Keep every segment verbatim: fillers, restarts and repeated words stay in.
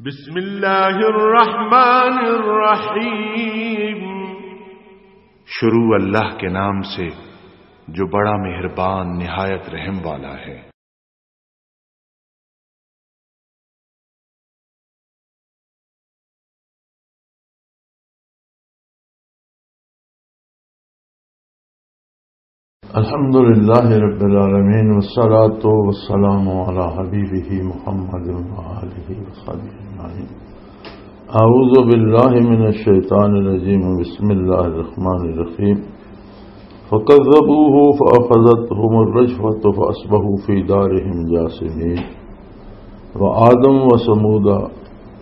بسم اللہ الرحمن الرحیم۔ شروع اللہ کے نام سے جو بڑا مہربان نہایت رحم والا ہے۔ الحمد لله رب العالمين، والصلاة والسلام على حبيبه محمد وآله وصحبه أجمعين. أعوذ بالله من الشيطان الرجيم. بسم الله الرحمن الرحيم. فكذبوه فأخذتهم الرجفة فأصبحوا في دارهم جاثمين. وعادا وثمود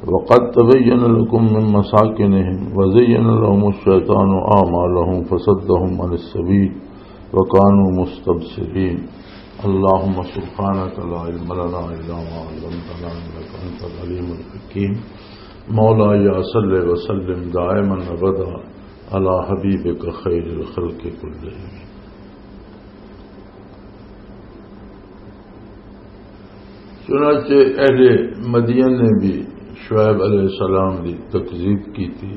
وقد تبين لكم من مساكنهم وزين لهم الشيطان أعمالهم فصدهم عن السبيل وكانوا مستبصرين. اللهم سبحانك لا علم لنا إلا ما علمتنا إنك أنت العليم الحكيم. مولاي صل وسلم دائما أبدا على حبيبك خير الخلق كلهم. چنانچہ اہل مدین نے بھی شعیب علیہ السلام دی تکذیب کی تھی،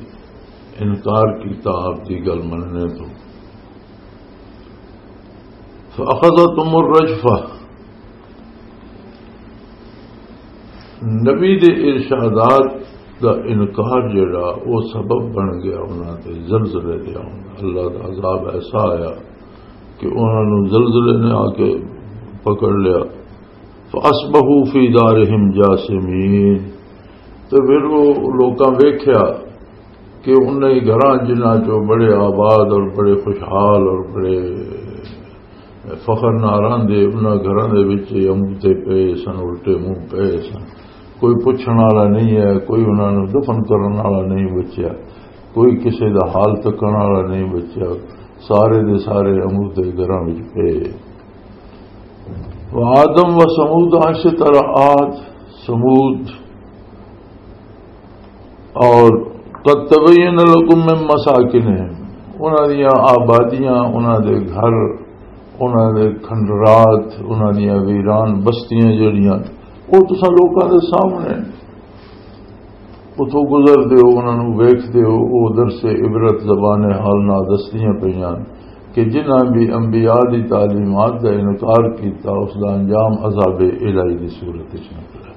انکار کیتا آپ دی گل مننے تو۔ فَأَخَذَتْهُمُ الرَّجْفَةُ، نبی دے ارشادات دا انکار جڑا، او سبب بن گیا انہاں تے زلزلے دے آن دا۔ اللہ دا عذاب ایسا آیا کہ انہاں نوں زلزلے نے آ کے پکڑ لیا۔ فَأَصْبَحُوا فِي دَارِهِمْ جَاثِمِينَ۔ تے پھر وہ لوکاں ویکھیا کہ انہاں ہی گھراں جنہاں چوں بڑے آباد اور بڑے خوشحال اور بڑے فخر نال رہندے، انہاں گھراں دے وچ ہی اموتے پئے سن، الٹے منہ پئے سن۔ کوئی پچھن والا نہیں ہے، کوئی انہاں نوں دفن کرن والا نہیں بچیا، کوئی کسے دا حال تکن والا نہیں بچیا، سارے دے سارے اموتے گھراں وچ پئے۔ وعادا وثمود، اسی طرح عاد، ثمود، اور قد تبین لکم من مساکنہم، انہاں دیاں آبادیاں، انہاں دے گھر، انہاں دے کھنڈرات، انہاں دیاں ویران بستیاں جڑیاں، او تساں لوکاں دے سامنے۔ اتھوں گزردے ہو، انہاں نوں ویکھدے ہو، او درس عبرت زبان حال نال دسدیاں پئیاں کہ جنہاں بھی انبیاء دی تعلیمات دا انکار کیتا، اس دا انجام عذاب الہی دی صورت وچ نکلا۔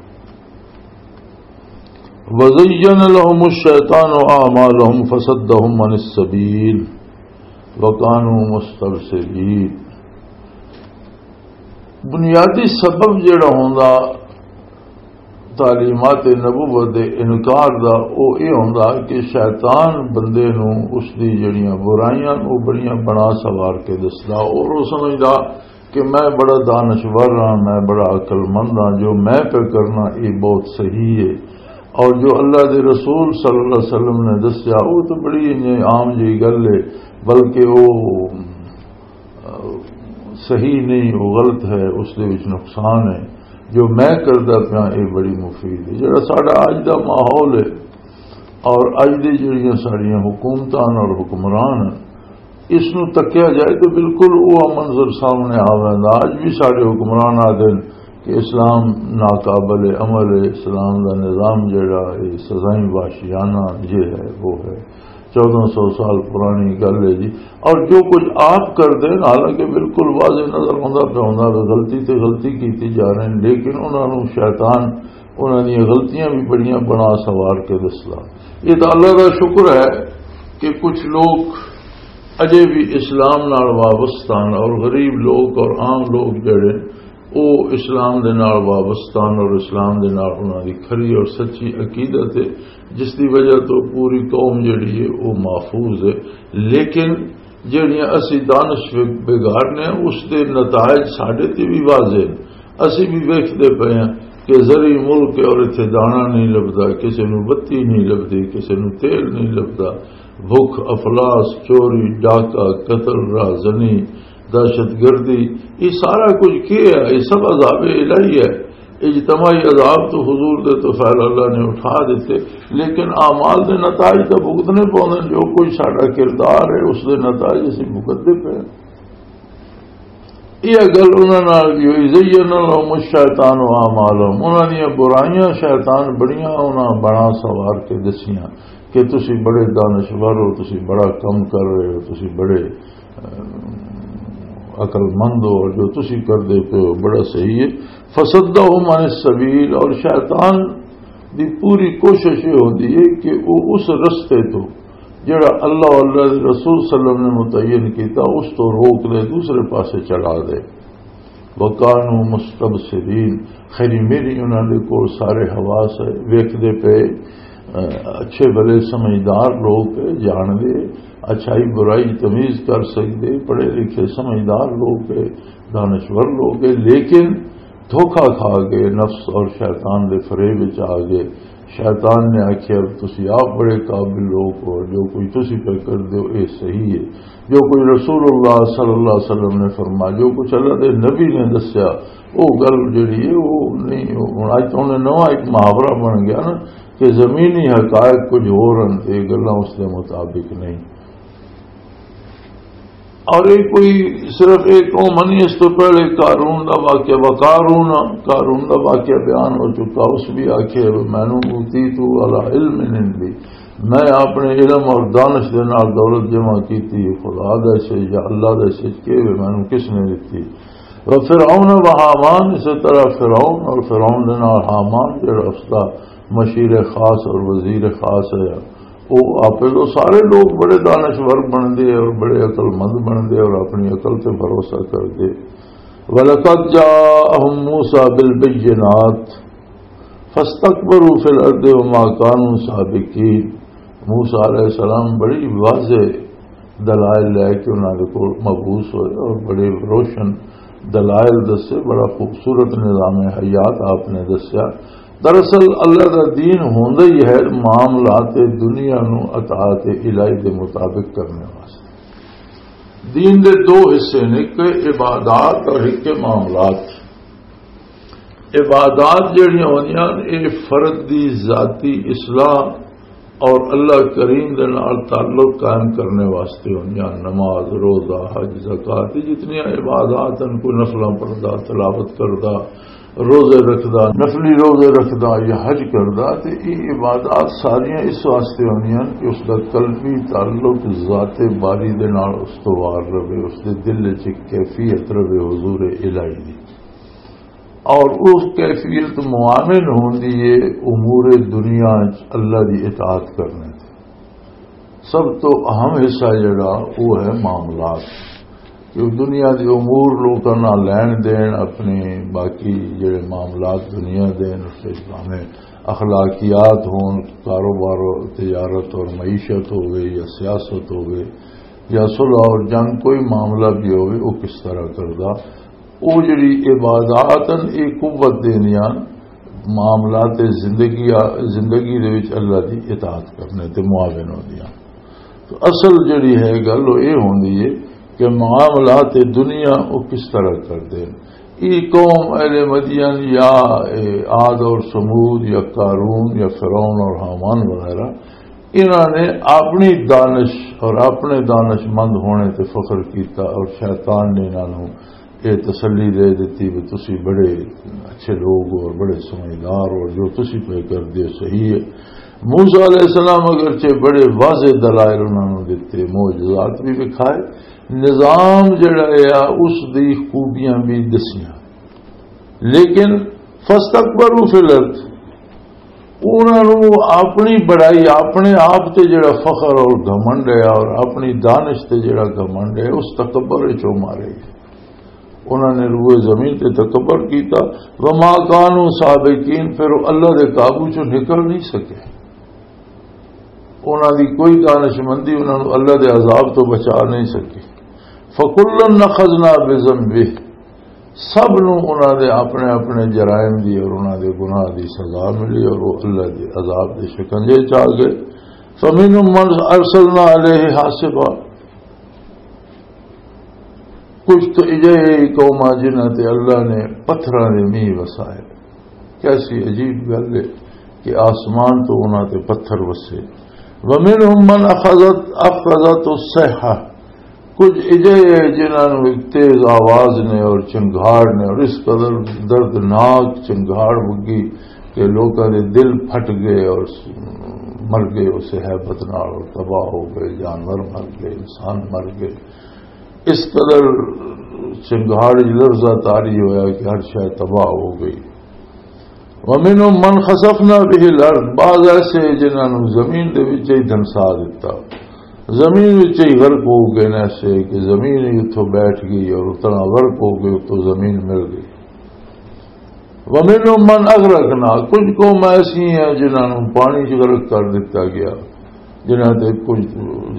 وَزَيَّنَ لَهُمُ الشَّيْطَانُ أَعْمَالَهُمْ فَصَدَّهُمْ عَنِ السَّبِيلِ وَكَانُوا مُسْتَبْصِرِينَ۔ بنیادی سبب جڑا ہوندا تعلیمات نبوت دے انکار دا، او اے ہوندا کہ شیطان بندے نوں اس دی جڑیاں برائیاں، او بڑیاں بنا سوار کے دسدا، اور او سمجھدا کہ میں بڑا دانشور ہاں، میں بڑا عقل مند ہاں، جو میں پہ کرنا، یہ بہت صحیح ہے۔ اور جو اللہ دے رسول صلی اللہ علیہ وسلم نے دسیا، وہ تو بڑی انج عام جی گل ہے، بلکہ وہ، آ، صحیح نہیں، وہ غلط ہے، اس دے وچ نقصان ہے۔ جو میں کردا پیا، یہ بڑی مفید ہے۔ جڑا ساڈا اج دا ماحول ہے اور اج دی جڑیاں ساڈیاں حکومتاں اور حکمران ہیں، اس نوں تکیا جائے تو بالکل وہ منظر سامنے آ ویندا۔ اج بھی ساڈے حکمران آدھے کہ اسلام ناقابل عمل ہے، اسلام دا نظام جڑا ہے، سزائیں وحشیانہ یہ ہے، وہ ہے۔ چودہ سو سال پرانی گل ہے جی۔ اور جو کچھ آپ کردے نا، حالانکہ بالکل واضح نظر آندا پیا ہوندا کہ غلطی تے غلطی کیتی جا رہے ہیں، لیکن انہاں نوں شیطان انہاں دیاں غلطیاں بھی بڑیاں بنا سوار کے دسدا۔ یہ تو اللہ دا شکر ہے کہ کچھ لوگ اجے بھی اسلام نال وابستہ ہن اور غریب لوگ اور عام لوگ جڑے، او اسلام دے نال وابستہ ہن اور اسلام دے نال انہاں دی کھری اور سچی عقیدت ہے، جس دی وجہ تو پوری قوم جڑی ہے، او محفوظ ہے۔ لیکن جڑیاں اسی دانش بگاڑنے، اس دے نتائج ساڈے تے بھی واضح ہیں۔ اسی بھی ویکھدے پئے ہیں کہ زرعی ملک ہے اور اتھے دانا نہیں لبدا، کسے نوں بتی نہیں لبدی، کسے نوں تیل نہیں لبدا۔ بھکھ، افلاس، چوری، ڈاکہ، قتل، راہزنی، دہشت گردی، یہ سارا کچھ کی ہے؟ یہ سب عذاب الہی ہے۔ اجتماعی عذاب تو حضور دے تو فعل اللہ نے اٹھا دیتے، لیکن اعمال دے نتائج تو بھگتنے پوندے۔ جو کوئی ساڈا کردار ہے، اس دے نتائج اسی بھگتدے پئے ہیں۔ یہ گل انہاں نال بھی ہوئی، زین لهم الشیطان اعمالهم، انہاں دیاں برائیاں شیطان بڑیاں انہاں بنا سوار کے دسیاں کہ تسی بڑے دانشور ہو، تسی بڑا کم کر رہے ہو، تسی بڑے، اہ، عقل مند ہو، اور جو تسی کر دیتے ہو بڑا صحیح ہے۔ فصدهم عن السبیل، اور شیطان دی پوری کوشش یہ ہوندی ہے کہ وہ اس رستے تو جڑا اللہ اور اللہ دے رسول صلی اللہ علیہ وسلم نے متعین کیتا، اس تو روک دے، دوسرے پاسے چڑھا دے۔ وَكَانُوا مُسْتَبْصِرِينَ، خیری میری انہاں دے کول سارے حواس ہے، ویکھدے پے، اہ، اچھے بھلے سمجھدار لوگ ہے، جان دے، اچھائی برائی تمیز کر سکدے، پڑھے لکھے سمجھدار لوگ ہے، دانشور لوگ ہے، لیکن دھوکا کھا کے نفس اور شیطان دے فریب وچ آ گئے۔ شیطان نے آکھیا، "تسی آپ بڑے قابل لوگ ہو، جو کوئی تسی پہ کر دیو، اے صحیح ہے۔" جو کوئی رسول اللہ صلی اللہ علیہ وسلم نے فرمایا، جو کچھ اللہ دے نبی نے دسیا، وہ گل جڑی ہے، وہ نہیں، وہ ہن اج تو انہیں نواں ایک محاورہ بن گیا نا کہ زمینی حقائق کچھ ہور ہن تے گلاں اس دے مطابق نہیں۔ اور یہ کوئی صرف ایک قوم نہیں، اس تو پہلے قارون دا واقعہ، وقارون، قارون دا واقعہ بیان ہو چکا، اس بھی آکھے، "مینوں اوتیت علی علم عندی"، میں اپنے علم اور دانش دے نال دولت جمع کیتی، خدا دے سے یا اللہ دے سے کہ مینوں کس نے دتی۔ و فرعون و حامان، اسی طرح فرعون اور فرعون دے نال حامان جڑا اس دا مشیر خاص اور وزیر خاص ہے، وہ آپ تو سارے لوگ بڑے دانشور بندے اور بڑے عقل مند بندے اور اپنی عقل تے بھروسہ کردے۔ وَلَقَدْ جَاءَهُمْ مُوسَىٰ بِالْبَيِّنَاتِ فَاسْتَكْبَرُوا فِي الْأَرْضِ وَمَا كَانُوا سَابِقِينَ۔ موسیٰ علیہ السلام بڑی واضح دلائل لے کے انہاں دے کول مبعوث ہوئے اور بڑے روشن دلائل دسے، بڑا خوبصورت نظام حیات آپ نے دسیا۔ دراصل اللہ دا دین ہوندا ہی ہے معاملات دنیا نو اطاعت الہی دے مطابق کرنے واسطے۔ دین دے دو حصے نے، ایک عبادات اور ایک معاملات۔ عبادات جڑیاں ہوندیاں، اے فرد دی ذاتی اصلاح اور اللہ کریم دے نال تعلق قائم کرنے واسطے ہوندیاں۔ نماز، روزہ، حج، زکوٰۃ، یہ جتنی عبادات ہیں، کوئی نفلاں پڑھدا، تلاوت کردا، روزے رکھدا، نفلی روزے رکھدا یا حج کردا، تے یہ عبادات ساریاں اس واسطے ہوندیاں کہ اس دا قلبی تعلق ذات باری دے نال استوار رہے، اس دے دل وچ ایک کیفیت رہے حضور الہی دی۔ اور اس کیفیت معاون ہوندی ہے امور دنیا وچ اللہ دی اطاعت کرنے تے۔ سب تو اہم حصہ جڑا، وہ ہے معاملات۔ کہ دنیا دے امور لوکاں نال لین دین، اپنے باقی جڑے معاملات دنیا دے، اس وچ بھاویں اخلاقیات ہون، کاروبار و تجارت اور معیشت ہوگی یا سیاست ہوگی یا صلح اور جنگ، کوئی معاملہ بھی ہوگی، وہ کس طرح کردا۔ او جڑی عبادات ہن، اے قوت دیندیاں معاملات زندگی، زندگی دے وچ اللہ دی اطاعت کرنے تے معاون ہوندیاں۔ تو اصل جڑی ہے گل، او اے ہوندی ہے کہ معاملات دنیا او کس طرح کردے ہن۔ اے قوم اہل مدین یا اے عاد اور ثمود یا قارون یا فرعون اور ہامان وغیرہ، انہاں نے اپنی دانش اور اپنے دانش مند ہونے تے فخر کیتا، اور شیطان نے انہاں نوں یہ تسلی دے دیتی کہ تسی بڑے اچھے لوگ ہو اور بڑے سمجھدار ہو، جو تسی پہ کر دے صحیح ہے۔ موسیٰ علیہ السلام اگرچہ بڑے واضح دلائل انہاں نوں دتے، معجزات بھی دکھائے، نظام جڑا ہے اس دی خوبیاں بھی دسیاں، لیکن فاستکبروا فی الارض، انہاں نوں اپنی بڑائی، اپنے آپ تے جڑا فخر اور گھمنڈ ہے اور اپنی دانش تے جڑا گھمنڈ ہے، اس تکبر وچ او مارے گئے۔ انہاں نے روئے زمین تے تکبر کیتا۔ وما کانوا سابقین، پھر او اللہ دے قابو چوں نکل نہیں سکے۔ انہاں دی کوئی دانش مندی انہاں نوں اللہ دے عذاب تو بچا نہیں سکی۔ فکلا اخذنا بذنبہ، سب نوں انہاں دے اپنے اپنے جرائم دی اور انہاں دے گناہ دی سزا ملی اور وہ اللہ دے عذاب دے شکنجے چ آ گئے۔ فمنهم من ارسلنا علیہ حاصبا، کچھ تو اجہے قوماں جنہاں تے اللہ نے پتھراں دے میہ وسائے۔ کیسی عجیب گل ہے کہ آسمان تو انہاں تے پتھر وسے۔ ومنهم من اخذت، اخذت الصیحہ، کچھ اجہے ہے جنہاں نوں ایک تیز آواز نے اور چنگھاڑ نے، اور اس قدر دردناک چنگھاڑ وگی کہ لوکاں دے دل پھٹ گئے اور مر گئے اسے ہیبت نال، اور تباہ ہو گئے، جانور مر گئے، انسان مر گئے۔ اس قدر چنگھاڑ وچ لرزہ طاری ہویا کہ ہر شے تباہ ہو گئی۔ وَمِنْهُمْ مَنْ خَسَفْنَا بِهِ الْأَرْضَ، بعض ایسے جنہاں نوں زمین دے وچ ہی دھنسا دتا، زمین وچ ہی غرق ہو گئے نے، ایسے کہ زمین ہی اتھوں بیٹھ گئی اور اتنا غرق ہو گئے، اتوں زمین مل گئی۔ وَمِنْهُمْ مَنْ أَغْرَقْنَا، کچھ قوم ایسی ہیں جنہاں نوں پانی وچ غرق کر دتا گیا، جنہاں تے کچھ،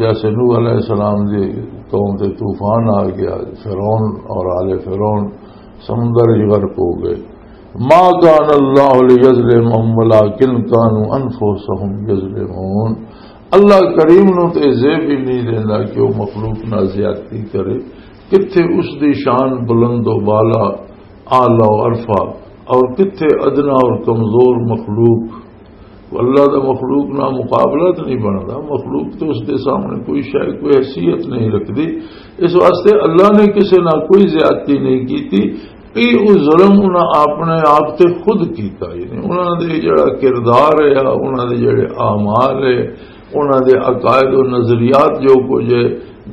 جیسے نوح علیہ السلام دی قوم تے طوفان آ گیا، فرعون اور آل فرعون سمندر وچ غرق ہو گئے۔ ما کان اللہ لیظلمہم ولکن کانوا انفسہم یظلمون۔ اللہ کریم نو تے زیب ہی نہیں دیندا کہ وہ مخلوق نال زیادتی کرے۔ کتھے اس دی شان بلند و بالا، اعلیٰ و ارفع، اور کتھے ادنا اور کمزور مخلوق۔ اللہ دا مخلوق نال مقابلہ تے نہیں بندا، مخلوق تے اس دے سامنے کوئی شے، کوئی حیثیت نہیں رکھدی۔ اس واسطے اللہ نے کسے نال کوئی زیادتی نہیں کیتی۔ یہ وہ ظلم انہاں اپنے آپ تے خود کیتا، یعنی انہاں دے جڑا کردار ہے، انہاں دے جڑے اعمال ہے، انہاں دے عقائد و نظریات جو کچھ ہے،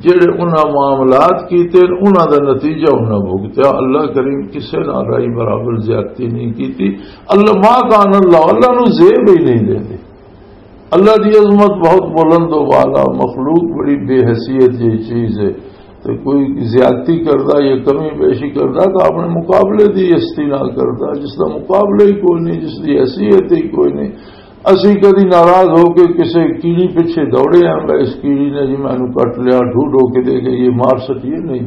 جڑے انہاں معاملات کیتے، انہاں دا نتیجہ انہاں بھگتیا۔ اللہ کریم کسے نال رائی برابر زیادتی نہیں کیتی۔ اللہ، ما کان اللہ، اللہ نو زیب ہی نہیں دیندے۔ اللہ دی عظمت بہت بلند و بالا، مخلوق بڑی بے حیثیت جی چیز ہے۔ تے کوئی زیادتی کردا یا کمی بیشی کردا تو اپنے مقابلے دی ہستی نال کردا، جس دا مقابلہ ہی کوئی نہیں، جس دی حیثیت ہی کوئی نہیں۔ اسی کدی ناراض ہو کے کسے کیڑی پیچھے دوڑے ہیں، بھائی اس کیڑی نے جی مینوں کٹ لیا، ڈھو ڈھو کے دے گئی، یہ مار سٹیے نہیں۔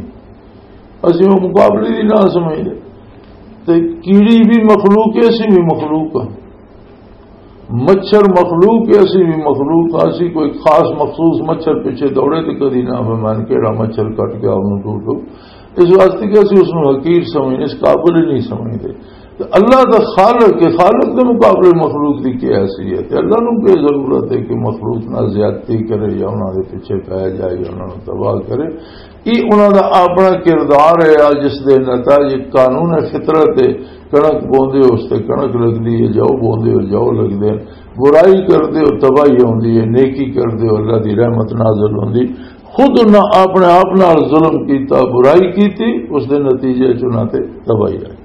اسی وہ مقابلے دی نہ سمجھدے۔ تے کیڑی بھی مخلوق ہے، اسی بھی مخلوق ہاں۔ مچھر مخلوق ہے، اسی بھی مخلوق ہاں۔ اسی کوئی خاص مخصوص مچھر پیچھے دوڑے تے کدی نہ میں کہڑا مچھر کٹ گیا انہوں ڈھو ڈھو۔ اس واسطے کہ اسی اس نوں حقیر سمجھنے، اس قابل ہی نہیں سمجھدے۔ تے اللہ دا خالق ہے، خالق دے مقابلے مخلوق دی کیا حیثیت ہے؟ اللہ نوں کی ضرورت ہے کہ مخلوق نال زیادتی کرے یا انہاں دے پیچھے پے جائے یا انہاں نوں تباہ کرے؟ یہ انہاں دا اپنا کردار ہے، آ جس دے نتائج قانون فطرت ہے۔ کنک بوندے ہو اس تے کنک لگدی ہے، جو بوندے ہو جو لگدے ہیں، برائی کردے ہو تباہی ہوندی ہے، نیکی کردے ہو اللہ دی رحمت نازل ہوندی۔ خود انہاں اپنے آپ نال ظلم کیتا، برائی کیتی، اس دے نتیجے چ انہاں تے تباہی آئی۔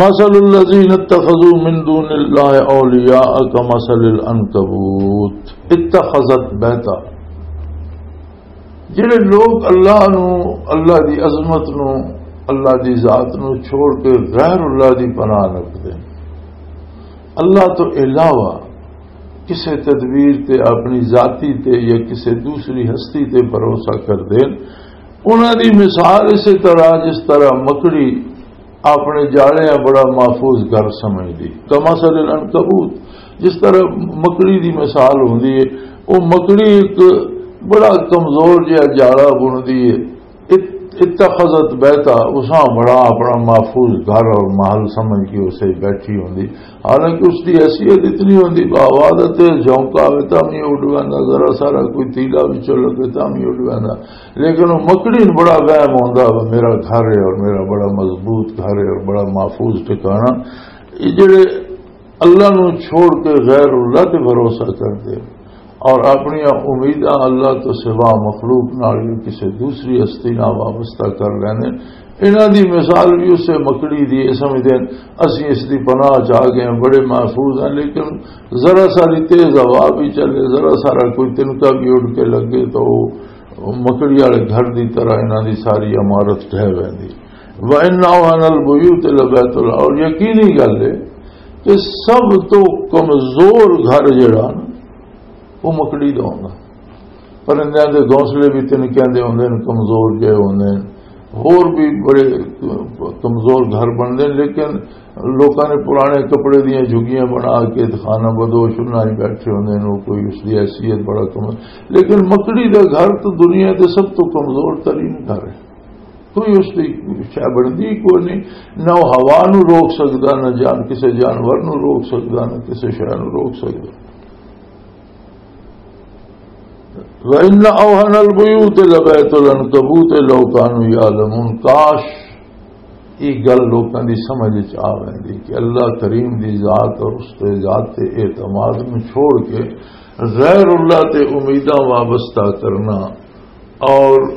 مثل الذين اتخذوا من دون الله أولياء كمثل العنكبوت اتخذت بيتا۔ جڑے لوگ اللہ نو، اللہ دی عظمت نو، اللہ دی ذات نو چھوڑ کے غیر اللہ دی پناہ رکھدے ہیں، اللہ تو علاوہ کسے تدبیر تے، اپنی ذاتی تے یا کسے دوسری ہستی تے بھروسہ کردے ہیں، انہاں دی مثال اسی طرح جس طرح مکڑی اپنے جالے بڑا محفوظ گھر سمجھدی۔ کمثل العنکبوت، جس طرح مکڑی دی مثال ہوندی ہے، وہ مکڑی ایک بڑا کمزور جہا جالا بندی ہے۔ ات-، اتخذت بیتا، اساں بڑا اپنا محفوظ گھر اور محل سمجھ کے اسے بیٹھی ہوندی۔ حالانکہ اس دی حیثیت اتنی ہوندی، باوادت ہے، جھونکا آوے تاں بھی اڈ ویندا، ذرا سارا کوئی تیلا وچوں لگے تاں بھی اڈ ویندا۔ لیکن وہ مکڑی نوں بڑا وہم ہوندا، وہ میرا گھر ہے اور میرا بڑا مضبوط گھر ہے اور بڑا محفوظ ٹھکانہ۔ یہ جڑے اللہ نوں چھوڑ کے غیر اللہ تے بھروسہ کردے اور اپنی امیداں اللہ تو سوا مخلوق نال یا کسی دوسری ہستی نال وابستہ کر لیندے، انہاں دی مثال بھی اسے مکڑی دی ہے۔ سمجھدے ہیں، اسی اس دی پناہ چ آ گئے ہیں، بڑے محفوظ ہیں، لیکن ذرا ساری تیز ہوا بھی چلے، ذرا سارا کوئی تنکا بھی اڑ کے لگے تو وہ مکڑی والے گھر دی طرح انہاں دی ساری عمارت ڈھہ ویندی۔ وَإِنَّ أَوْهَنَ الْبُيُوتِ لَبَيْتُ الْعَنْكَبُوتِ، اور یقینی گل ہے کہ سب تو کمزور گھر جڑا نا، وہ مکڑی دا ہوندا۔ پرندیاں دے گھونسلے بھی تنکیاں دے ہوندے نے، کمزور جہے ہوندے نے، ہور بھی بڑے کمزور گھر بندے نے، لیکن لوکاں نے پرانے کپڑے دیاں جھگیاں بنا کے خانہ بدوش انہاں ہی بیٹھے ہوندے نے، وہ کوئی اس دی حیثیت بڑا کم۔ لیکن مکڑی دا گھر تو دنیا دے سب تو کمزور ترین گھر ہے۔ کوئی اس دی شے بندی کوئی نہیں، نہ وہ ہوا نو روک سکدا، نہ جان کسے جانور نو روک سکدا، نہ کسے شے نو روک سکدا۔ وَإِنَّ أَوْهَنَ الْبُيُوتِ لَبَيْتُ الْعَنْكَبُوتِ لَوْ كَانُوا يَعْلَمُونَ۔ کاش یہ گل لوکاں دی سمجھ وچ آ ویندی کہ اللہ کریم دی ذات اور اس تے ذات تے اعتماد نوں چھوڑ کے غیر اللہ تے امیداں وابستہ کرنا، اور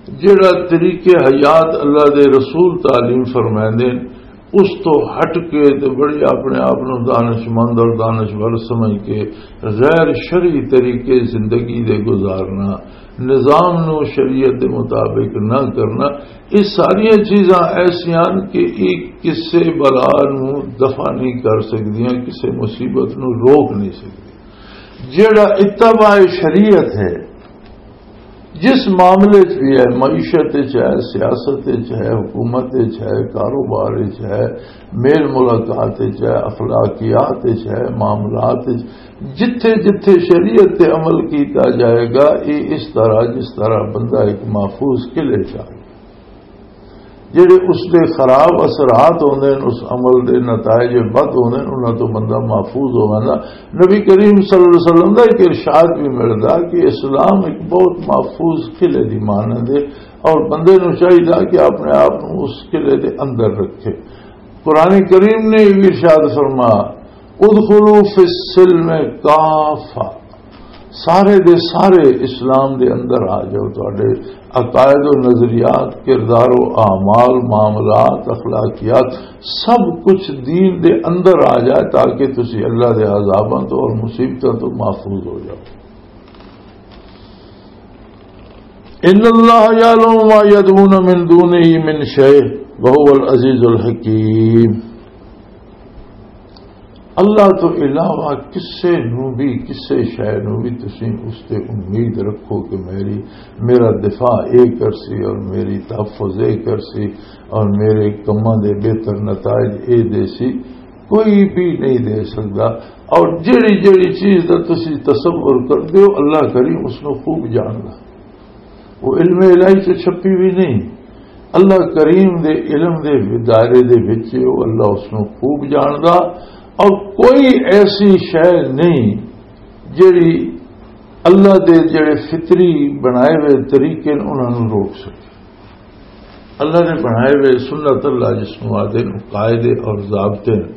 جڑا طریقے حیات اللہ دے رسول تعلیم فرمائندے نے، اس تو ہٹ کے تے بڑی اپنے آپ نوں دانشمند اور دانشور سمجھ کے غیر شرعی طریقے زندگی دے گزارنا، نظام نوں شریعت دے مطابق نہ کرنا، یہ ساریاں چیزاں ایسیاں ہن کہ یہ کسے بلا نوں دفع نہیں کر سکدیاں، کسے مصیبت نوں روک نہیں سکدی۔ جڑا اتباع شریعت ہے، جس معاملے چ بھی ہے، معیشت چ ہے، سیاست چ ہے، حکومت چ ہے، کاروبار چ ہے، میل ملاقات چ ہے، اخلاقیات چ ہے، معاملات چ، جتھے جتھے شریعت تے عمل کیتا جائے گا، یہ اس طرح، جس طرح بندہ ایک محفوظ قلعے چ آ، جڑے اس دے خراب اثرات ہوندے نے، اس عمل دے نتائج بد ہوندے نے، انہاں تو بندہ محفوظ ہو ویندا۔ نبی کریم صلی اللہ علیہ وسلم دا ایک ارشاد بھی ملدا کہ اسلام ایک بہت محفوظ قلعے دی مانند ہے، اور بندے نوں چاہیدا کہ اپنے آپ نوں اس قلعے دے اندر رکھے۔ قرآن کریم نے بھی ارشاد فرما، "ادخلوا فی السلم کافہ"، سارے دے سارے اسلام دے اندر آ جاؤ، تہاڈے عقائد و نظریات، کردار و اعمال، معاملات، اخلاقیات، سب کچھ دین دے اندر آ جائے، تاکہ تسی اللہ دے عذاباں تو اور مصیبتاں تو محفوظ ہو جاؤ۔ ان اللہ یعلم ما یدعون من دونہ من شیء وهو العزیز الحکیم۔ اللہ تو علاوہ کسے نو بھی، کسے شے نو بھی تسی اس تے امید رکھو کہ میری، میرا دفاع اے کرسی اور میری تحفظ اے کرسی اور میرے کماں دے بہتر نتائج اے دے سی، کوئی بھی نہیں دے سکدا۔ اور جڑی جڑی چیز دا تسی تصور کر دیو، اللہ کریم اس نو خوب جاندا۔ وہ علم الہی چ چھپی ہوئی نہیں۔ اللہ کریم دے علم دے دائرے دے وچ ہے، وہ اللہ اس نو خوب جاندا۔ اور کوئی ایسی شے نہیں جڑی اللہ دے جڑے فطری بنائے ہوئے طریقے نے، انہاں نوں روک سکے۔ اللہ نے بنائے ہوئے سنت اللہ جس نوں آدھے نے، قاعدے اور ضابطے نے،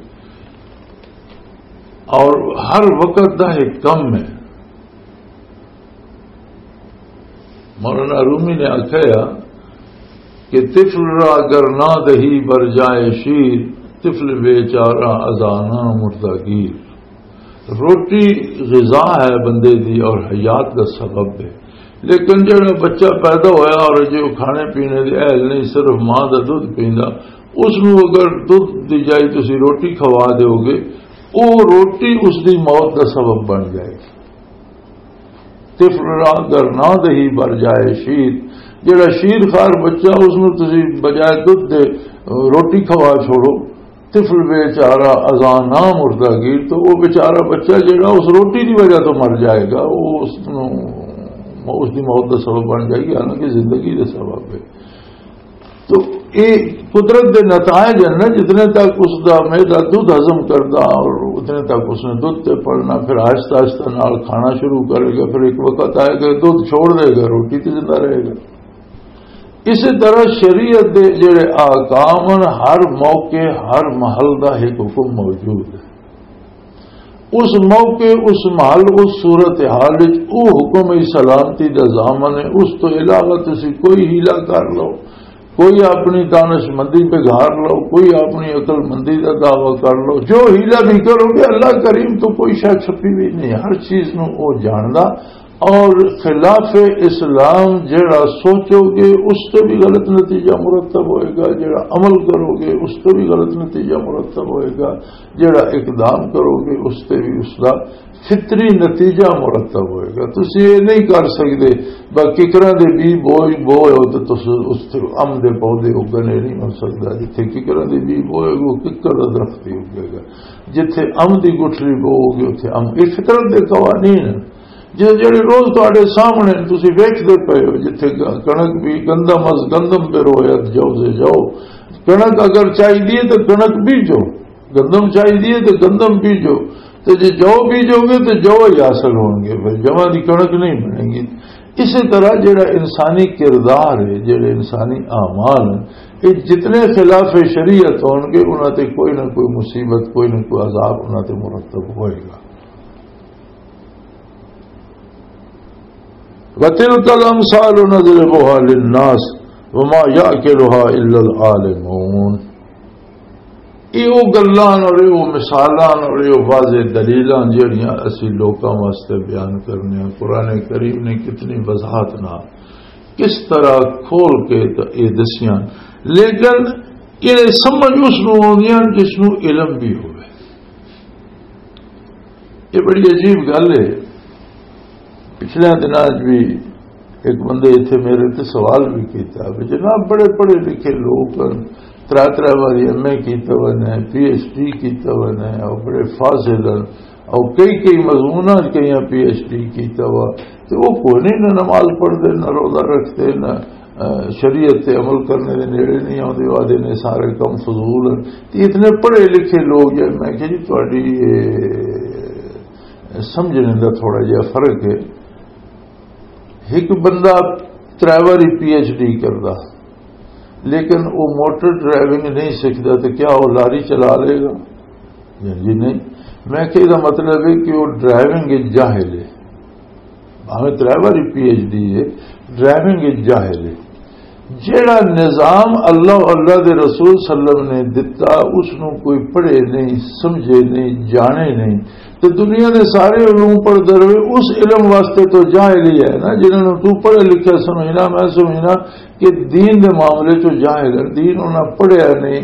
اور ہر وقت دا ایک کم ہے۔ مولانا رومی نے آکھیا کہ طفل را گر نہ دہی بر جائے شیر، طفل بیچارہ ازانا مردہ گیر۔ روٹی غذا ہے بندے دی اور حیات دا سبب ہے، لیکن جڑا بچہ پیدا ہویا اور جو کھانے پینے دے اہل نہیں، صرف ماں دا دودھ پیندا، اس نو اگر دودھ دی جائی تسی روٹی کھوا دیو گے، او روٹی اس دی موت دا سبب بن جائے گی۔ طفل را گر نہ دہی بر جائے شیر، جڑا شیر خار بچہ، اس نو تسی بجائے دودھ دے روٹی کھوا چھوڑو، طفل بیچارہ ازاں نہ مردہ گیر، تو وہ بیچارہ بچہ جڑا اس روٹی دی وجہ تو مر جائے گا، وہ اس نو، اس دی موت دا سبب بن جائے گی، حالانکہ زندگی دا سبب ہے۔ تو اے قدرت دے نتائج ہیں نا، جتنے تک اس دا معدہ دودھ ہضم کردا اور اتنے تک اس نے دودھ تے پلنا، پھر آہستہ آہستہ نال کھانا شروع کرے گا، پھر ایک وقت آئے گا دودھ چھوڑ دے گا، روٹی تے زندہ رہے گا۔ اسی طرح شریعت دے جڑے احکام ہیں، ہر موقع، ہر محل دا ایک حکم موجود ہے۔ اس موقع، اس محل، اس صورت حال وچ او حکم ہی سلامتی دا ضامن ہے۔ اس تو علاوہ تسی کوئی حیلہ کر لو، کوئی اپنی دانش مندی بگاڑ لو، کوئی اپنی عقل مندی دا دعویٰ کر لو، جو حیلہ بھی کرو گے، اللہ کریم تو کوئی شے چھپی بھی نہیں، ہر چیز نو او جاندا۔ اور خلاف اسلام جڑا سوچو گے، اس تے بھی غلط نتیجہ مرتب ہوئے گا، جڑا عمل کرو گے، اس تے بھی غلط نتیجہ مرتب ہوئے گا، جڑا اقدام کرو گے، اس تے بھی اس دا فطری نتیجہ مرتب ہوئے گا۔ تسی یہ نہیں کر سکتے، بس ککراں دے بی بوئے، بوئے ہو تو تس اس تے ام دے پودے اگنے نہیں ہو سکتا۔ جتھے ککراں دے بی بوئے گا، ککر دا درخت ہی اگے گا۔ جتھے ام دی گٹھلی بوؤ گے، اتھے ام۔ یہ فطرت دے قوانین ہیں۔ جے جڑے روز تواڈے سامنے نے، تسی ویکھدے پئے ہو، جتھے گ-، کݨک بھی، گندم از گندم بروید جوزے جو۔ کݨک اگر چاہیدی ہے تے کݨک بیجو، گندم چاہیدی ہے تے گندم بیجو۔ تے جے جو بیجو گے تے جو ہی حاصل ہون گے، پھر جمع دی کڑک نہیں بنے گی۔ اسی طرح جڑا انسانی کردار ہے، جڑے انسانی اعمال ہیں، یہ جتنے خلاف شریعت ہون گے، انہاں تے کوئی نہ کوئی مصیبت، کوئی نہ کوئی عذاب انہاں تے مرتب ہوئے گا۔ وَتِلْكَ الْأَمْثَالُ نَضْرِبُهَا لِلنَّاسِ وَمَا يَعْقِلُهَا إِلَّا الْعَالِمُونَ۔ یہ وہ گلاں اور یہ وہ مثالاں اور یہ وہ واضح دلیلاں جڑیاں اسی لوکاں واسطے بیان کرنے ہیں۔ قرآن کریم نے کتنی وضاحت نال، کس طرح کھول کے ت-، یہ دسیاں، لیکن یہ سمجھ اس نوں آندیاں جس نوں علم بھی ہوئے۔ یہ بڑی عجیب گل ہے۔ پچھلے دناں وچ بھی ایک بندے اتھے میرے تے سوال بھی کیتا بھی جناب، بڑے پڑھے لکھے لوگ ہن، ترے ترے واری ایم اے کیتا ہوئے نے، پی ایچ ڈی کیتا ہوئے نے، اور بڑے فاضل ہن، اور کئی کئی مضموناں وچ کئیاں پی ایچ ڈی کیتا ہوا، تے وہ کوئی نہیں، نہ نماز پڑھتے، نہ روزہ رکھتے، نہ، آ، شریعت تے عمل کرنے دے نیڑے نہیں آتے، وہ آدھے نے سارے کم فضول ہیں۔ تے اتنے پڑھے لکھے لوگ جو، میں کہا جی تہاڈی یہ سمجھنے دا تھوڑا جہا فرق ہے۔ ایک بندہ ترے واری پی ایچ ڈی کردا، لیکن وہ موٹر ڈرائیونگ نہیں سکھدا، تو کیا وہ لاری چلا لے گا؟ جی نہیں۔ میں کہ یہ مطلب ہے کہ وہ ڈرائیونگ وچ جاہل ہے، بھاویں ترے واری پی ایچ ڈی ہے، ڈرائیونگ وچ جاہل ہے۔ جیڑا نظام اللہ اور اللہ دے رسول صلی اللہ علیہ وسلم نے دتا، اس نو کوئی پڑھے نہیں، سمجھے نہیں، جانے نہیں، تے دنیا دے سارے علوم پڑھدا رہے، اس علم واسطے تو جاہل ہی ہے نا، جنہاں نو تو پڑھے لکھے سمجھنا، میں سمجھنا کہ دین دے معاملے چ جاہل ہے، دین انہاں پڑھیا نہیں،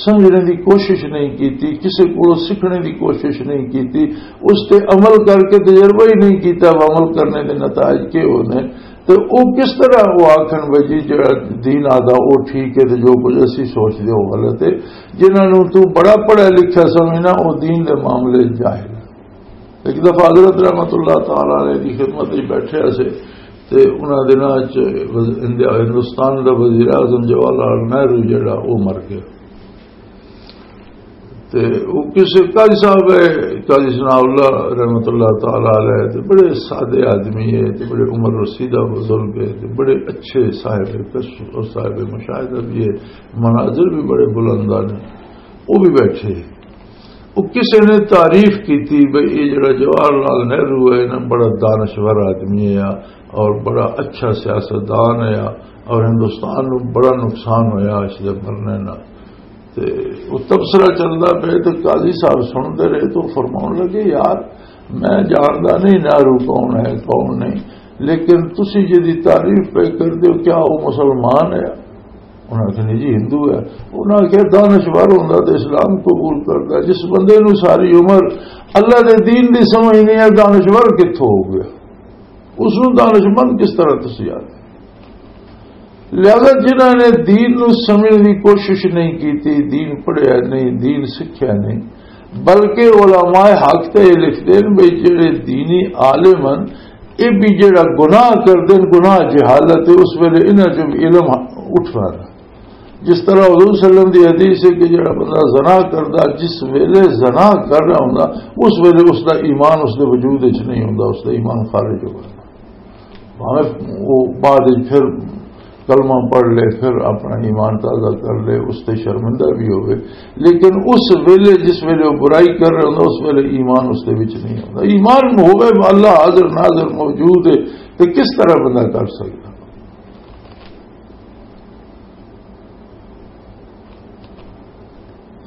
سمجھنے دی کوشش نہیں کیتی، کسے کولوں سیکھنے دی کوشش نہیں کیتی، اس تے عمل کر کے تجربہ ہی نہیں کیتا، اب عمل کرنے دے نتائج کے ہونے۔ تے او کس طرح او آکھن بھئی جی جڑا دین آدا او ٹھیک ہے تے جو کچھ اسی سوچدے او غلط ہے؟ جنہاں نوں تو بڑا پڑھا لکھا سمجھنا، او دین دے معاملے جاہل ہے۔ ایک دفعہ حضرت رحمت اللہ تعالی علیہ دی خدمت وچ بیٹھے سے تے انہاں دناں وچ وز-، انڈیا، ہندوستان دا وزیر اعظم جواہر لال نہرو جڑا، او مر گیا۔ تے او کسے قاضی صاحب ہے، قاضی ثناء اللہ رحمت اللہ تعالی علیہ، تے بڑے سادے آدمی ہے، تے بڑے عمر رسیدہ بزرگ ہے، تے بڑے اچھے صاحب کشف اور صاحب مشاہدہ بھی ہے، مناظر بھی بڑے بلند نے۔ وہ بھی بیٹھے۔ وہ کسے نے تعریف کیتی بھئی یہ جڑا جواہر لال نہرو ہے نا، بڑا دانشور آدمی ہے اور بڑا اچھا سیاستدان ہے اور ہندوستان نو بڑا نقصان ہویا اس دے مرنے نال۔ تے وہ تبصرہ چلدا پئے تے قاضی صاحب سنتے رہے تو فرماؤن لگے، یار، میں جاندا نہیں نہرو کون ہے، کون نہیں، لیکن تسی جدی تعریف پہ کر دیو، کیا وہ مسلمان ہے؟ انہاں نے کہا، "نہیں جی، ہندو ہے۔" انہاں نے کہا، "دانشور ہوندا تے اسلام قبول کردا۔ جس بندے نو ساری عمر اللہ دے دین دی سمجھ نہیں ہے، دانشور کتھوں ہو گیا؟ اس نو دانشمند کس طرح تسی آکھدے؟" لہذا جنہاں نے دین نو سمجھنے دی کوشش نہیں کیتی، دین پڑھیا نہیں، دین سکھیا نہیں، بلکہ علماء حق تے یہ لکھتے ہیں بھئی جڑے دینی عالم ہیں، یہ بھی جڑا گناہ کردے ہیں، گناہ جہالت ہے، اس ویلے انہاں چوں بھی علم اٹھنا ہے۔ جس طرح حضور صلی اللہ علیہ وسلم دی حدیث ہے کہ جڑا بندہ زنا کردا، جس ویلے زنا کر رہا ہوندا، اس ویلے اس دا ایمان اس دے وجود وچ نہیں ہوندا، اس دا ایمان خارج ہو گیا۔ بھاویں وہ بعد وچ پھر کلمہ پڑھ لے، پھر اپنا ایمان تازہ کر لے، اس تے شرمندہ بھی ہوئے، لیکن اس ویلے، جس ویلے وہ برائی کر رہا ہوندا، اس ویلے ایمان اس دے وچ نہیں ہوندا۔ ایمان ہوئے، اللہ حاضر ناظر موجود ہے، تو کس طرح بندہ کر سکتا؟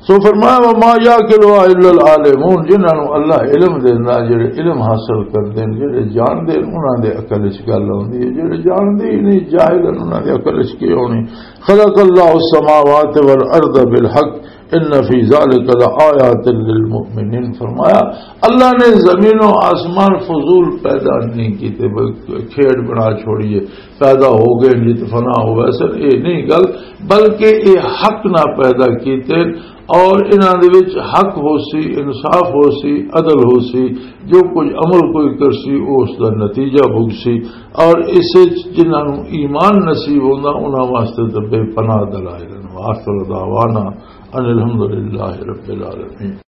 سو فرمایا، "وما يعقلها إلا العالمون"، جنہاں نوں اللہ علم دیندا، جڑے علم حاصل کردے نے، جڑے جاندے نے، انہاں دے عقل وچ گل آندی ہے، جڑے جاندے ہی نہیں، جاہل ہیں، انہاں دے عقل وچ کی ہونی؟ "خلق الله السماوات والأرض بالحق إن في ذلك لآيات للمؤمنين"، فرمایا، اللہ نے زمین و آسمان فضول پیدا نہیں کیتے، بلکہ کھیڈ بنا چھوڑیے، پیدا ہو گئے، جت فنا ہو ویسے، یہ نہیں گل، بلکہ یہ حق نہ پیدا کیتے اور انہاں دے وچ حق ہو سی، انصاف ہو سی، عدل ہو سی، جو کچھ عمل کوئی کر سی، وہ اس دا نتیجہ بھگ سی، اور اس وچ جنہاں نوں ایمان نصیب ہوندا، انہاں واسطے تے بے پناہ دلائل ہیں۔ وآخر دعوانا ان الحمدللہ رب العالمین۔